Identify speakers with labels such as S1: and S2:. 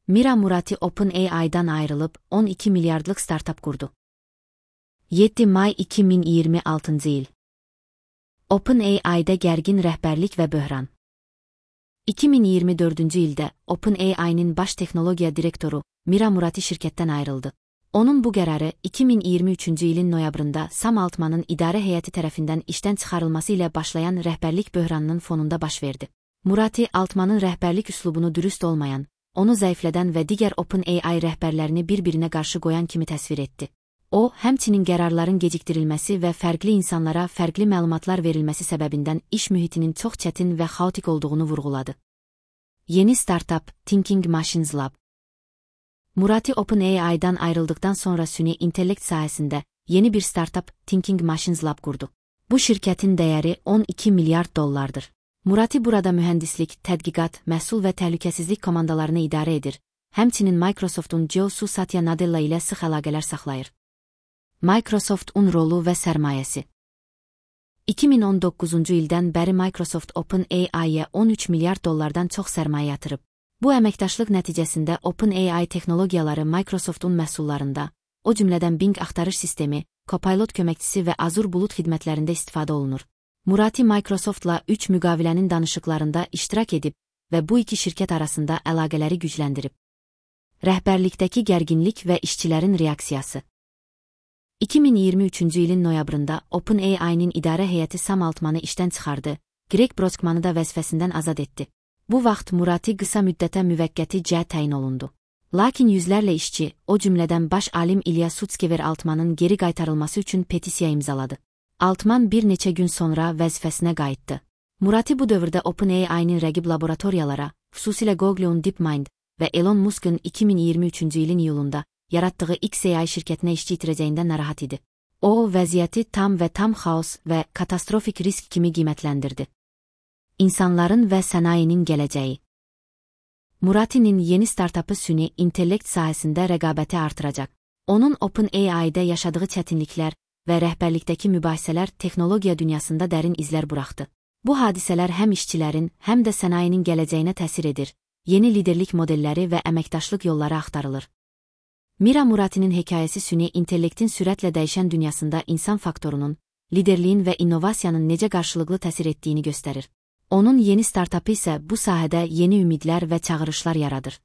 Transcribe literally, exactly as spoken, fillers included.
S1: Mira Murati OpenAI'dan ayrılıp on iki milyardlık startup kurdu. yeddi may iki min iyirmi altıncı il. OpenAI'da gergin rəhbərlik və böhran. iki min iyirmi dördüncü ildə OpenAI'nin baş texnologiya direktoru Mira Murati şirkətdən ayrıldı. Onun bu qərarı iki min iyirmi üçüncü ilin noyabrında Sam Altman'ın idarə heyəti tərəfindən işdən çıxarılması ilə başlayan rəhbərlik böhranının fonunda baş verdi. Murati, Altman'ın rəhbərlik üslubunu dürüst olmayan, onu zəiflədən və digər OpenAI rəhbərlərini bir-birinə qarşı qoyan kimi təsvir etdi. O, həmçinin qərarların gecikdirilməsi və fərqli insanlara fərqli məlumatlar verilməsi səbəbindən iş mühitinin çox çətin və xaotik olduğunu vurğuladı. Yeni startup, Thinking Machines Lab. Murati OpenAI'dan ayrıldıktan sonra süni intellekt sahəsində yeni bir startup, Thinking Machines Lab kurdu. Bu şirkətin dəyəri on iki milyard dollardır. Murati burada mühəndislik, tədqiqat, məhsul və təhlükəsizlik komandalarını idarə edir. Həmçinin Microsoft'un Joe Satya Nadella ilə sıx əlaqələr saxlayır. Microsoft'un rolu və sərmayəsi. iki min on doqquzuncu ildən bəri Microsoft OpenAI'yə on üç milyard dollardan çox sərmayə yatırıb. Bu əməkdaşlıq nəticəsində OpenAI texnologiyaları Microsoft'un məhsullarında, o cümlədən Bing axtarış sistemi, Copilot köməkçisi və Azure bulut xidmətlərində istifadə olunur. Murati Microsoft'la üç müqavilənin danışıqlarında iştirak edib və bu iki şirkət arasında əlaqələri gücləndirib. Rəhbərlikdəki gərginlik və işçilərin reaksiyası. iki min iyirmi üçüncü ilin noyabrında OpenAI'nin idarə heyəti Sam Altman'ı işdən çıxardı, Greg Brockman'ı da vəzifəsindən azad etdi. Bu vaxt Murati qısa müddətə müvəqqəti cəhət təyin olundu. Lakin yüzlərlə işçi, o cümlədən baş alim İlya Sutskever Altman'ın geri qaytarılması üçün petisiya imzaladı. Altman bir neçə gün sonra vəzifəsinə qayıtdı. Murati bu dövrdə OpenAI'nin rəqib laboratoriyalara, xüsusilə Google'un DeepMind və Elon Musk'ın iki min iyirmi üçüncü ilin iyulunda yaratdığı X A I şirkətinə işçi itirəcəyindən narahat idi. O, vəziyyəti tam və tam xaos və katastrofik risk kimi qiymətləndirdi. İnsanların və sənayenin gələcəyi. Murati'nin yeni startupı süni intellekt sahəsində rəqabəti artıracaq. Onun OpenAI'də yaşadığı çətinliklər və rəhbərlikdəki mübahisələr texnologiya dünyasında dərin izlər buraxdı. Bu hadisələr həm işçilərin, həm də sənayenin gələcəyinə təsir edir. Yeni liderlik modelləri və əməkdaşlıq yolları axtarılır. Mira Murati'nin hekayəsi süni intellektin sürətlə dəyişən dünyasında insan faktorunun, liderliyin və innovasiyanın necə qarşılıqlı təsir etdiyini göstərir. Onun yeni startupı isə bu sahədə yeni ümidlər və çağırışlar yaradır.